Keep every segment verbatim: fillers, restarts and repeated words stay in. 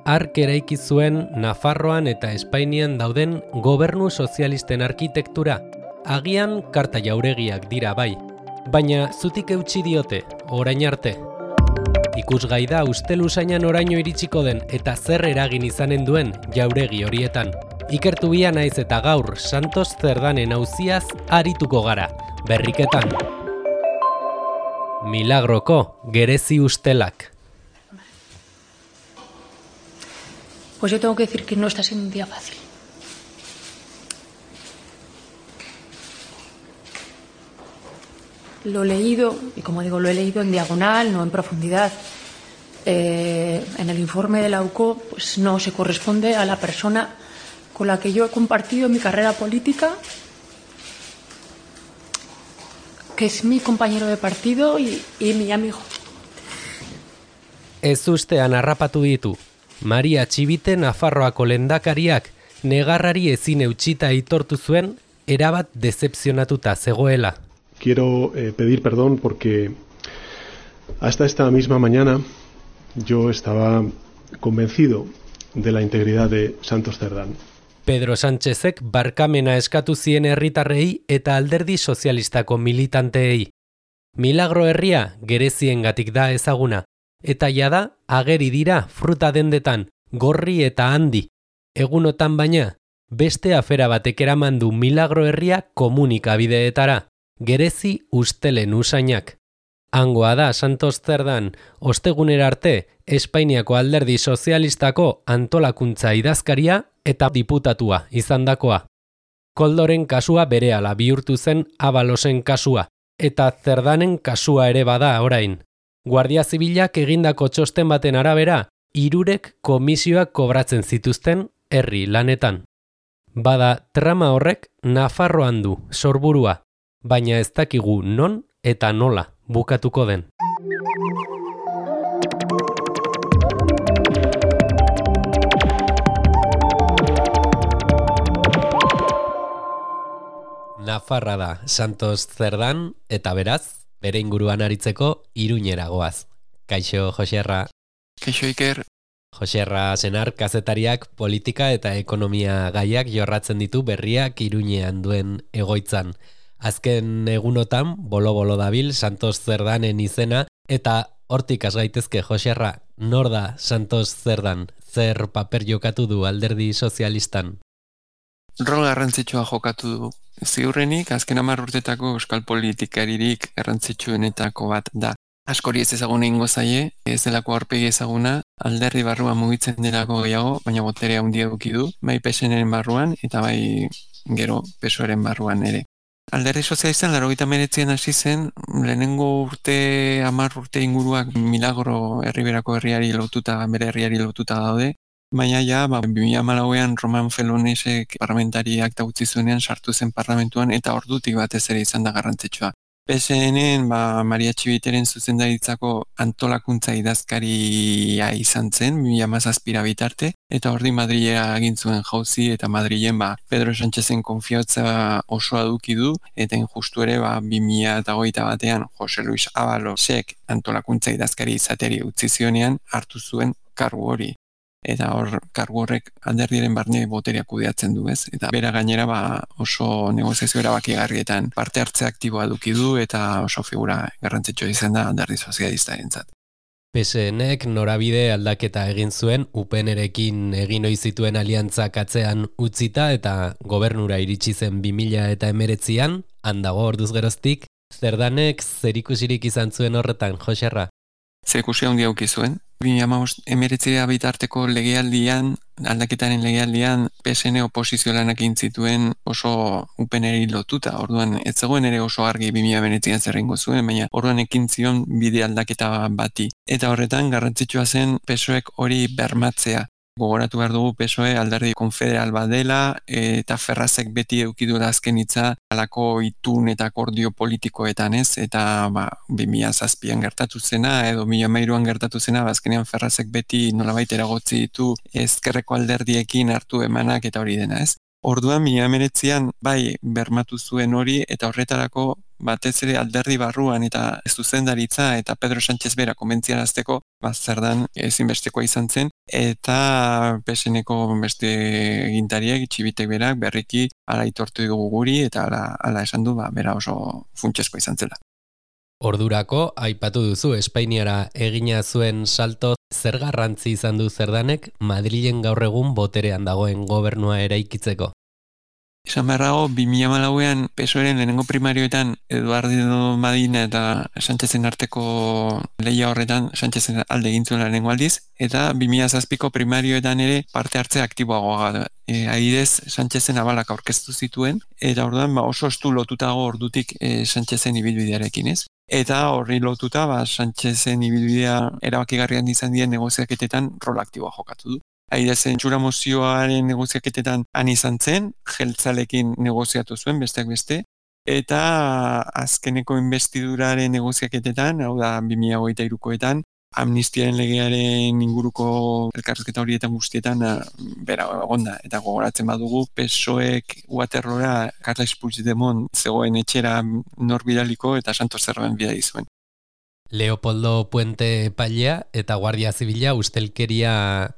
Hark eraiki zuen Nafarroan eta Espainian dauden gobernu sozialisten arkitektura. Agian karta jauregiak dira bai, baina zutik eutsi diote, orain arte. Ikusgai da usteluzainan oraino iritsiko den eta zer eragin izanen duen jauregi horietan. Ikertu bia naiz eta gaur Santos Zerdanen auziaz arituko gara, berriketan. Milagroko gerezi ustelak. Pues yo tengo que decir que no está siendo un día fácil. Lo he leído, y como digo, lo he leído en diagonal, no en profundidad. Eh, en el informe de la U C O, pues no se corresponde a la persona con la que yo he compartido mi carrera política, que es mi compañero de partido y, y mi amigo. Ez ustean harrapatu ditu. Maria Txibite Nafarroako lehendakariak negarrari ezin eutxita aitortu zuen erabat decepzionatuta zegoela. Quiero eh, pedir perdón porque hasta esta misma mañana yo estaba convencido de la integridad de Santos Cerdán. Pedro Sánchezek barkamena eskatu zien herritarrei eta alderdi sozialistako militanteei. Milagro herria gereziengatik da ezaguna, eta jada ageri dira fruta dendetan, gorri eta handi. Egunotan baina, beste afera batek eraman du Milagro herria komunikabideetara, gerezi ustelen usainak. Hangoa da Santos Zerdan, ostegunera arte, Espainiako alderdi sozialistako antolakuntza idazkaria eta diputatua izandakoa. Koldoren kasua berehala bihurtu zen Abalosen kasua, eta Zerdanen kasua ere bada orain. Guardia Zibilak egindako txosten baten arabera, hirurek komisioak kobratzen zituzten herri lanetan. Bada trama horrek Nafarroan du sorburua, baina ez dakigu non eta nola bukatuko den. Nafarra da Santos Zerdan eta beraz, bere inguruan aritzeko Iruñera goaz. Kaixo, Joserra. Kaixo, Iker. Joserra senar kazetariak politika eta ekonomia gaiak jorratzen ditu berriak Iruñean duen egoitzan. Azken egunotan, bolo-bolo dabil Santos Zerdanen izena, eta hortik has gaitezke, Joserra, nor da Santos Zerdan? Zer paper jokatu du alderdi sozialistan? Rol garrantzitsua jokatu du. Ziurrenik, azken hamar urtetako euskal politikaririk garrantzitsuenetako bat da. Askori ez ezaguna ingo zaie, ez delako aurpegi ezaguna, alderdi barruan mugitzen delako gehiago, baina boterea handia eduki du, bai P S N-ren barruan eta bai gero P S O E-ren barruan ere. Alderdi sozialistan laurogeita hemeretzian hasi zen, lehenengo urte, hamar urte inguruak Milagro herriberako herriari lotuta, bere herriari lotuta daude, baina ja, ba, bi mila hamalauean Roman Felonesek parlamentariak utzi zuenean sartu zen parlamentuan eta ordutik batez ere izan da garrantzitsua. P S N-en ba, Maria Txibiteren zuzendaritzako antolakuntza idazkaria izan zen, bi mila hamazazpira bitarte, eta ordi Madrilera egin zuen jauzi eta Madrilen ba, Pedro Sánchezen konfiantza osoa duki du, eta injustu ere ba, bi mila hogeita batean Jose Luis Abalosek antolakuntza idazkari izateri utzi zionean hartu zuen kargu hori. Eta hor, kargu horrek alderdiaren barne boterea kudeatzen du, ez? Eta bera gainera ba, oso negoziazio erabakigarrietan parte hartze aktiboa duki du eta oso figura garrantzitsua izan da alderdi sozialistarentzat. P S N-ek norabide aldaketa egin zuen U P N-erekin egin ohi zituen aliantzak atzean utzita eta gobernura iritsi zen bi mila hemeretzian, handago orduz geroztik, Zerdanek zerikusirik izan zuen horretan, Joserra? Zerikusia handia eduki zuen. bi mila hemeretzira bitarteko legealdian, aldaketaren legealdian, P S N oposizio lanak egin zituen oso U P N-eri lotuta. Orduan, ez zegoen ere oso argi bi mila hemeretzian zerrengo zuen, baina orduan ekin zion bide aldaketa bati. Eta horretan, garrantzitsua zen P S O E-ek hori bermatzea. Gogoratu behar dugu P S O E alderdi konfederal bat dela, eta Ferrazek beti eukidura azken hitza halako itun eta akordio politikoetan, ez? Eta ba, bi mila zazpian gertatu zena, edo bi mila hamairuan gertatu zena, azkenean Ferrazek beti nolabait eragotzi ditu ezkerreko alderdiekin hartu emanak eta hori dena, ez? Orduan, mila hemeretzian bai bermatu zuen hori, eta horretarako batez ere alderdi barruan eta zuzendaritza eta Pedro Sánchez bera konbentziarazteko, ba, Zerdan ezinbestekoa izan zen, eta P S N-eko beste egintariek, Txibitek berak, berriki ala aitortu dugu guri, eta ala, ala esan du, ba, bera oso funtsezkoa izan zela. Ordurako, aipatu duzu, Espainiara egina zuen salto, zer garrantzi izan du Zerdanek Madrilen gaur egun boterean dagoen gobernua eraikitzeko? Esan beharrago, bi mila hamalauean P S O E-ren lehenengo primarioetan Eduardo Madina eta Sánchezen arteko lehia horretan Sánchezen alde egin zuen lehenengo aldiz, eta bi mila zazpiko primarioetan ere parte hartze aktiboagoa da. E, Adibidez, Sánchezen abalak aurkeztu zituen, eta orduan ba, oso estu lotutago ordutik e, Sánchezen ibilbidearekin, ez? Eta horri lotuta, ba, Sánchezen ibilbidea erabakigarrian izan dien negoziaketetan rol aktiboa jokatu du. Aidezen txura mozioaren negoziaketetan han izan zen, jeltzalekin negoziatu zuen, besteak beste, eta azkeneko investiduraren negoziaketetan, hau da bi mila hogeita hirukoetan, amnistiaren legearen inguruko elkarrizketa horietan guztietan bera egonda, eta gogoratzen badugu P S O E-ek Waterloora Carles Puigdemont zegoen etxera nor bidaliko eta Santos Zerban bidali zuen. Leopoldo Puente epailea eta Guardia Zibila ustelkeria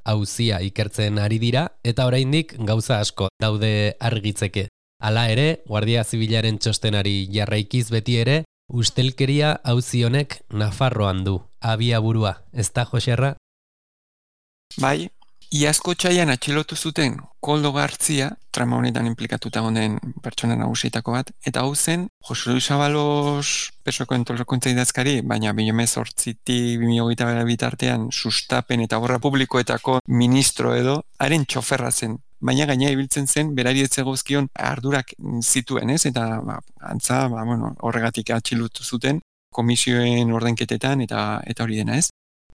auzia ikertzen ari dira eta oraindik gauza asko daude argitzeke. Hala ere, Guardia Zibilaren txostenari jarraikiz beti ere, ustelkeria auzi honek Nafarroan du, abiaburua, ez da, Joserra? Bai, iazko txaian atxilotu zuten Koldo Gartzia, trama honetan implikatuta honen pertsona nagusietako bat, eta hau zen Jose Luis Ábalos P S O-ko antolakuntza idazkari, baina bi mila zortzitik bi mila hogeita bat bitartean sustapen eta obra publikoetako ministro edo, haren txoferra zen. Baina gaina ibiltzen zen, berari ez zegozkion ardurak zituen, ez? Eta ba, antza, ba, bueno, horregatik atxilotu zuten komisioen ordenketetan eta eta hori dena, ez?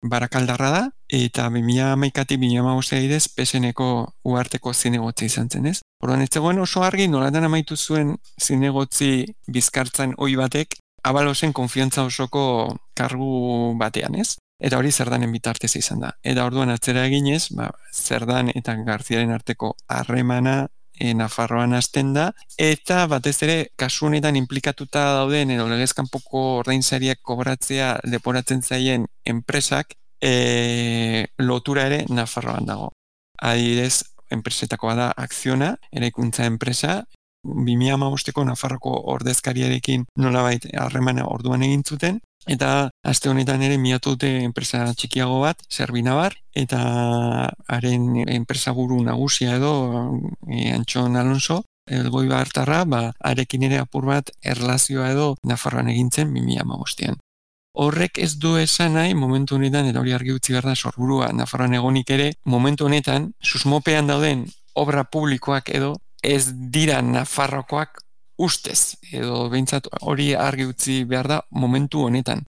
Barakaldarra da, eta bi mila hamaikatik bi mila hamabost idez P S N-eko uharteko zinegotzi izan zen, ez? Orduan ez zegoen oso argi nolatan amaitu zuen zinegotzi bizkartzan ohi batek Abalosen konfiantza osoko kargu batean, ez? Eta hori Zerdanen bitartez izan da. Eta orduan atzera eginez, ba, Zerdan eta Garziaren arteko harremana e, Nafarroan hasten da, eta batez ere kasu honetan inplikatuta dauden edo legez kanpoko ordainsariak kobratzea leporatzen zaien enpresak e, lotura ere Nafarroan dago. Adibidez, enpresetakoa da Akziona, eraikuntza enpresa, bi mila hamabosteko Nafarroko ordezkariarekin nolabait harremana orduan egin zuten, eta aste honetan ere miatu dute enpresa txikiago bat, Zerbinabar, eta haren enpresaburu nagusia edo e, Antxon Alonso, Elgoi Bartarra, ba, arekin ere apur bat erlazioa edo Nafarroan egintzen bi mila hamabostean. Horrek ez du esan nahi, momentu honetan, eta hori argi utzi behar da sorburua Nafarroan egonik ere, momentu honetan, susmopean dauden obra publikoak edo ez dira Nafarrokoak ustez, edo behintzat hori argi utzi behar da momentu honetan.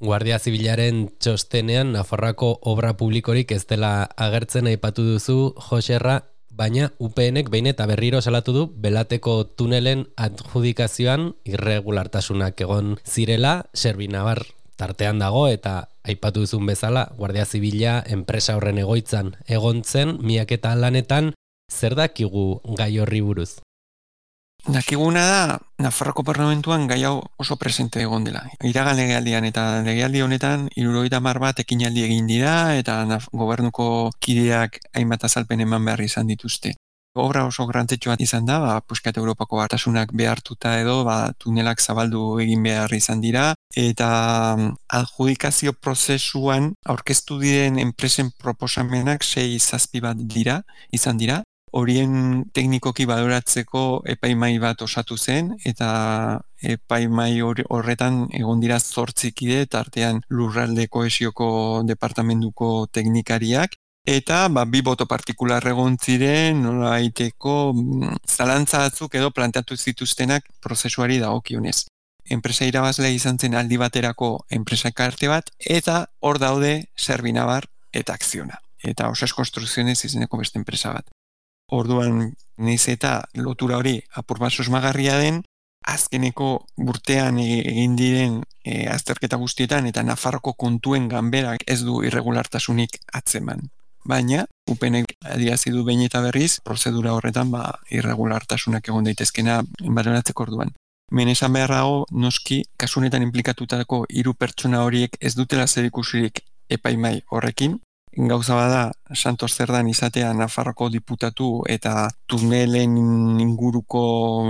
Guardia Zibilaren txostenean Nafarroako obra publikorik ez dela agertzen aipatu duzu, Joserra, baina U P N-ek behin eta berriro salatu du Belateko tunelen adjudikazioan irregulartasunak egon zirela, Zerbinabar tartean dago eta aipatu duzun bezala Guardia Zibila enpresa horren egoitzan egon zen, miaketa lanetan, zer dakigu gai horri buruz? Dakiguna da, Nafarroko parlamentuan gai hau oso presente egon dela. Iragan legealdian eta legealdi honetan hirurogeita hamar bat ekinaldi egin dira eta gobernuko kideak hainbat azalpen eman behar izan dituzte. Obra oso garrantzitsua izan da, ba, puskat Europako batasunak behartuta edo, ba, tunelak zabaldu egin behar izan dira, eta adjudikazio prozesuan aurkeztu diren enpresen proposamenak sei zazpi bat dira, izan dira. Horien teknikoki baloratzeko epaimai bat osatu zen, eta epaimai horretan egon dira zortzi kide, tartean lurralde kohesioko departamentuko teknikariak, eta ba, bi boto partikular egon ziren, nola aiteko zalantza batzuk edo planteatu zituztenak prozesuari dagokionez. Enpresa irabazlea izan zen aldi baterako enpresa karte bat, eta hor daude Zerbinabar eta Akziona. Eta Osas Konstrukzionez izeneko beste enpresa bat. Orduan, naiz eta lotura hori apur bat susmagarria den, azkeneko urtean egin diren e, azterketa guztietan eta Nafarroko kontuen ganberak ez du irregulartasunik atzeman. Baina, U P N-ek adierazi du behin eta berriz, prozedura horretan ba, irregulartasunak egon daitezkena baloratzeko orduan. Menesan beharrago, noski, kasu honetan inplikatutako hiru pertsona horiek ez dutela zerikusirik epaimai horrekin. Gauza bada, Santos Zerdan izatea Nafarroko diputatu eta tunelen inguruko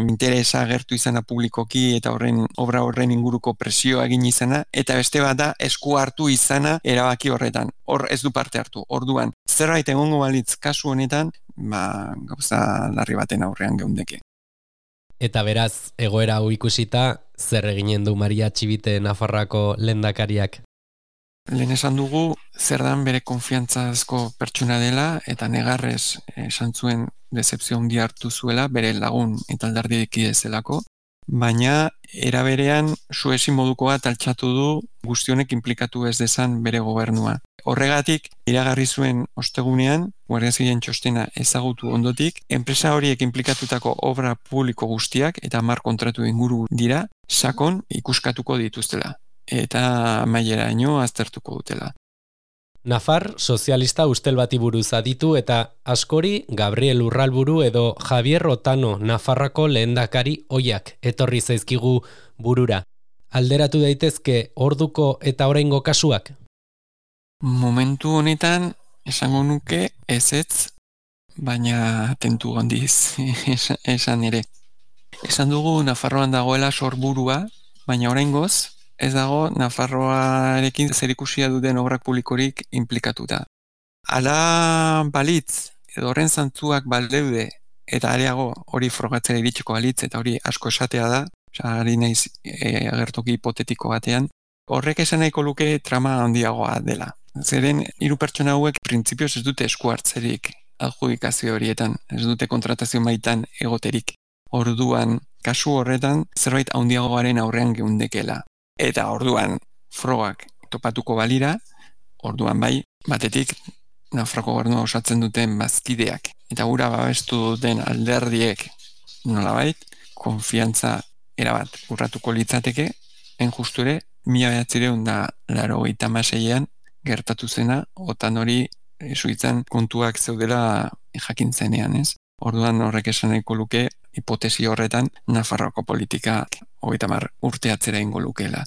interesa agertu izana publikoki eta horren obra horren inguruko presioa egin izana, eta beste bat da esku hartu izana erabaki horretan. Hor ez du parte hartu. Orduan, zerbait egongo balitz kasu honetan, ba, gauza larri baten aurrean geundeke. Eta beraz, egoera hau ikusita, zer eginen du Maria Txibite Nafarroako lehendakariak? Lehen esan dugu, Zerdan bere konfiantzazko pertsona dela eta negarrez esan zuen decepzio handia hartu zuela bere lagun eta alderdikide zelako, baina era berean suezi moduko bat altxatu du guztionek inplikatu ez dezan bere gobernua. Horregatik, iragarri zuen ostegunean, Guardia Zibilen txostena ezagutu ondotik, enpresa horiek inplikatutako obra publiko guztiak eta hamar kontratu inguru dira, sakon ikuskatuko dituztela eta maileraino aztertuko dutela. Nafar sozialista ustel bati buruz aditu eta askori Gabriel Urralburu edo Javier Otano Nafarrako lehendakari oiak etorri zaizkigu burura. Alderatu daitezke orduko eta oraingo kasuak? Momentu honetan esango nuke ezetz, baina tentu handiz esan ere. Esan dugu Nafarroan dagoela sorburua, baina oraingoz ez dago Nafarroarekin zerikusia duten obrak publikorik inplikatuta. Hala balitz, edo horren zantzuak baldeude, eta areago hori frogatzera iritsiko balitz, eta hori asko esatea da, ari naiz e, agertoki hipotetiko batean, horrek esan nahiko luke trama handiagoa dela. Zeren hiru pertsona hauek printzipioz ez dute esku hartzerik adjudikazio horietan, ez dute kontratazio maitan egoterik. Orduan, kasu horretan, zerbait handiagoaren aurrean geundekela. Eta orduan frogak topatuko balira, orduan bai, batetik Nafarroko gobernua osatzen duten bazkideak eta gura babestu duten alderdiek nolabait, konfiantza erabat urratuko litzateke, enjusture, mila behatzireun da laurogeita hamaseian gertatu zena, otan hori suitzan kontuak zeudela jakintzenean, ez? Orduan horrek esan nahiko luke, hipotesi horretan, Nafarroko politika hogeita hamar urte atzera ingo lukeela.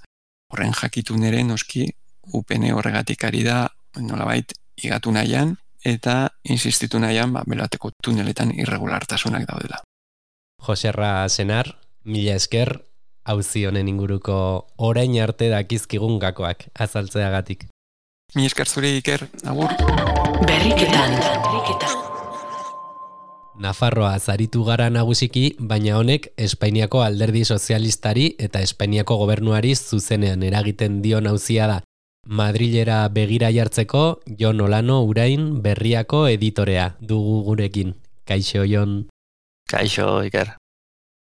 Horren jakitun ere noski, U P N horregatik ari da, nolabait, igatu nahian, eta insistitu nahian, ba, beloateko tuneletan irregulartasunak daudela. Joserra Senar, mila esker, auzi honen inguruko orain arte dakizkigun gakoak azaltzeagatik. Mila esker zure Iker, agur. Berriketan, berriketan. Nafarroa zaritu gara nagusiki, baina honek Espainiako alderdi sozialistari eta Espainiako gobernuari zuzenean eragiten dion auzia da. Madrilera begira jartzeko, Jon Olano Urain Berriako editorea dugu gurekin. Kaixo, Jon. Kaixo, Iker.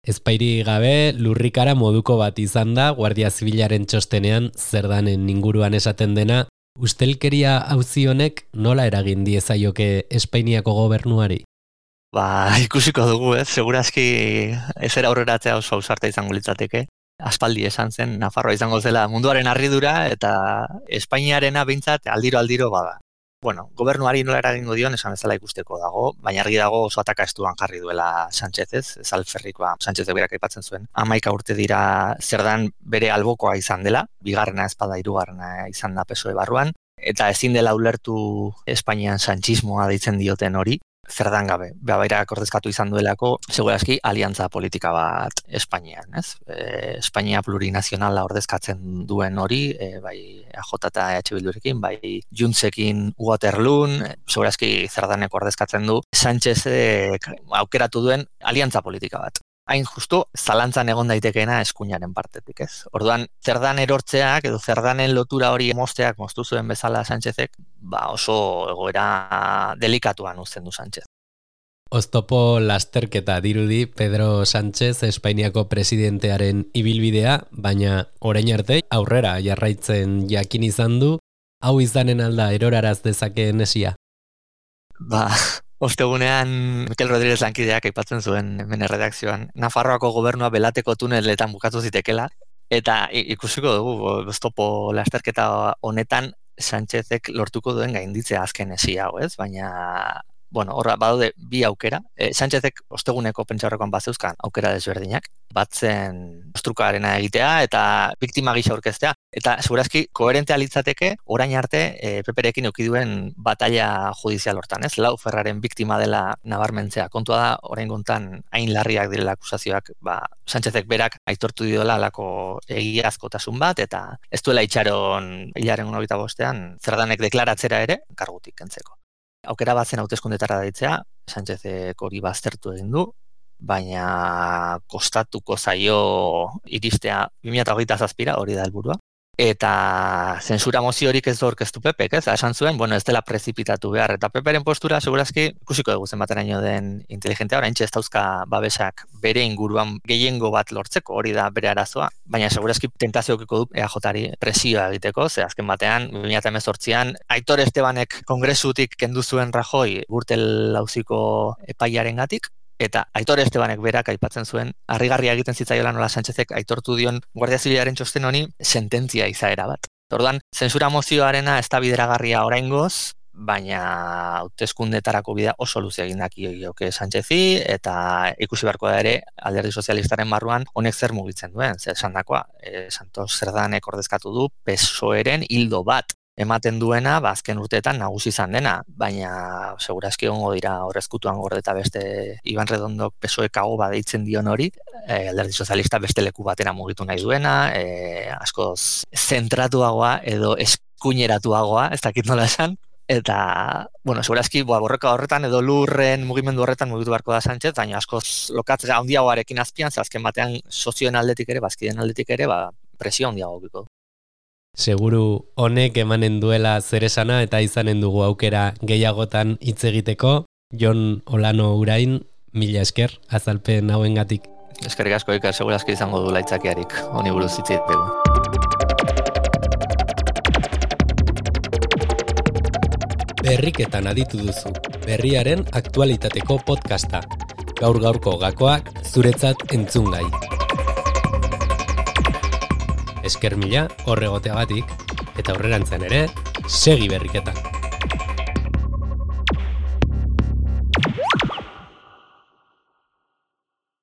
Ezpairi gabe, lurrikara moduko bat izan da, Guardia Zibilaren txostenean Zerdanen inguruan esaten dena, ustelkeria auzi honek nola eragin diezaioke Espainiako gobernuari? Ba, ikusiko dugu, ez? Segurazki ezer aurreratzea oso ausarta izango litzateke. Aspaldi esan zen, Nafarroa izango zela munduaren harridura eta Espainiarena behintzat aldiro-aldiro bada. Bueno, gobernuari nola eragingo dion esan bezala ikusteko dago, baina argi dago oso ataka estuan jarri duela Sánchez, ez? Ez alferrikoa Sánchezek berak aipatzen zuen. Hamaika urte dira Zerdan bere albokoa izan dela, bigarrena ezpada hirugarrena izan da P S O E barruan, eta ezin dela ulertu Espainian sanchismoa deitzen dioten hori. Zerdan gabe, Babairak ordezkatu izan duelako, segurazki aliantza politika bat Espainian, ez? E, Espainia plurinazionala ordezkatzen duen hori, e, bai A J eta E H Bildurekin, bai Juntzekin Waterloon, segurazki Zerdaneko ordezkatzen du, Sánchezek aukeratu duen aliantza politika bat. Hain justu, zalantzan egon daitekeena eskuinaren partetik, ez? Orduan, Zerdan erortzeak edo Zerdanen lotura hori mozteak moztu zuen bezala Sánchezek, ba oso egoera delikatuan uzten du Sánchez. Oztopo lasterketa dirudi Pedro Sánchez Espainiako presidentearen ibilbidea, baina orain arte aurrera jarraitzen jakin izan du, hau izanen alda eroraraz dezakeen esia. Ba, ostegunean Mikel Rodríguez lankideak aipatzen zuen hemen erredakzioan Nafarroako gobernua belateko tuneletan bukatu zitekela, eta ikusiko dugu oztopo lasterketa honetan Sánchezek lortuko duen gainditzea azken esia hau, ez? Baina bueno, horra badaude bi aukera. E, Sánchezek osteguneko pentsaurrekoan bazeuzkan aukera desberdinak, batzen ostrukarena egitea eta biktima gisa aurkeztea, eta segurazki koherentea litzateke orain arte e, Peperekin eduki duen batalla judizial hortan, ez? Lauferraren biktima dela nabarmentzea. Kontua da, orain gontan hain larriak direla akusazioak, ba, Sánchezek berak aitortu diola alako egiazkotasun bat, eta ez duela itxaron hilaren hogeita bostean Zerdanek deklaratzera ere kargutik kentzeko. Aukera bat zen hauteskundetara deitzea, Sánchezek hori baztertu egin du, baina kostatuko zaio iristea bi mila hogeita zazpira, hori da helburua. Eta zensura moziorik ez du aurkeztu Pepek, ez? Esan zuen, bueno, ez dela prezipitatu behar. Eta Peperen postura, segurazki, ikusiko dugu zenbateraino den inteligentea, oraintxe ez dauzka babesak bere inguruan gehiengo bat lortzeko, hori da bere arazoa. Baina segurazki tentaziokiko du E A Jari presioa egiteko, ze azken batean, bi mila hemezortzian, Aitor Estebanek kongresutik kendu zuen Rajoy Gürtel auziko epaiarengatik, eta Aitor Estebanek berak aipatzen zuen, harrigarria egiten zitzaiola nola Sánchezek aitortu dion Guardia Zibilaren txosten honi sententzia izaera bat. Orduan, zensura mozioarena ez da bideragarria oraingoz, baina hauteskundetarako bidea oso luze egin dakioke Sánchezi, eta ikusi beharko da ere Alderdi Sozialistaren barruan honek zer mugitzen duen, zer esandakoa, e, Santos Zerdanek ordezkatu du P S O E-ren hildo bat ematen duena, ba, azken urteetan nagusi izan dena, baina segurazki egongo dira horrezkutuan gorde eta beste Iban Redondok P S O E kago badeitzen dion hori, e, Alderdi Sozialista beste leku batera mugitu nahi duena, e, askoz zentratuagoa edo eskuineratuagoa, ez dakit nola esan, eta, bueno, segurazki boa, borroka horretan edo lurren mugimendu horretan mugitu beharko da Sánchez, baina askoz lokatzea handiagoarekin azpian, ze azken batean sozioen aldetik ere, bazkideen aldetik ere, ba, presio handiago biko. Seguru honek emanen duela zer esana eta izanen dugu aukera gehiagotan hitz egiteko. Jon Olano Urain, mila esker azalpen hauengatik. Eskerrik asko, Iker, segurazki izango du laitzakiarik, honi buruz hitz egiteko. Berriketan aditu duzu, berriaren aktualitateko podcasta. Gaur gaurko gakoak zuretzat entzungai. Esker mila horregoteagatik, eta aurrerantzen ere, segi berriketan.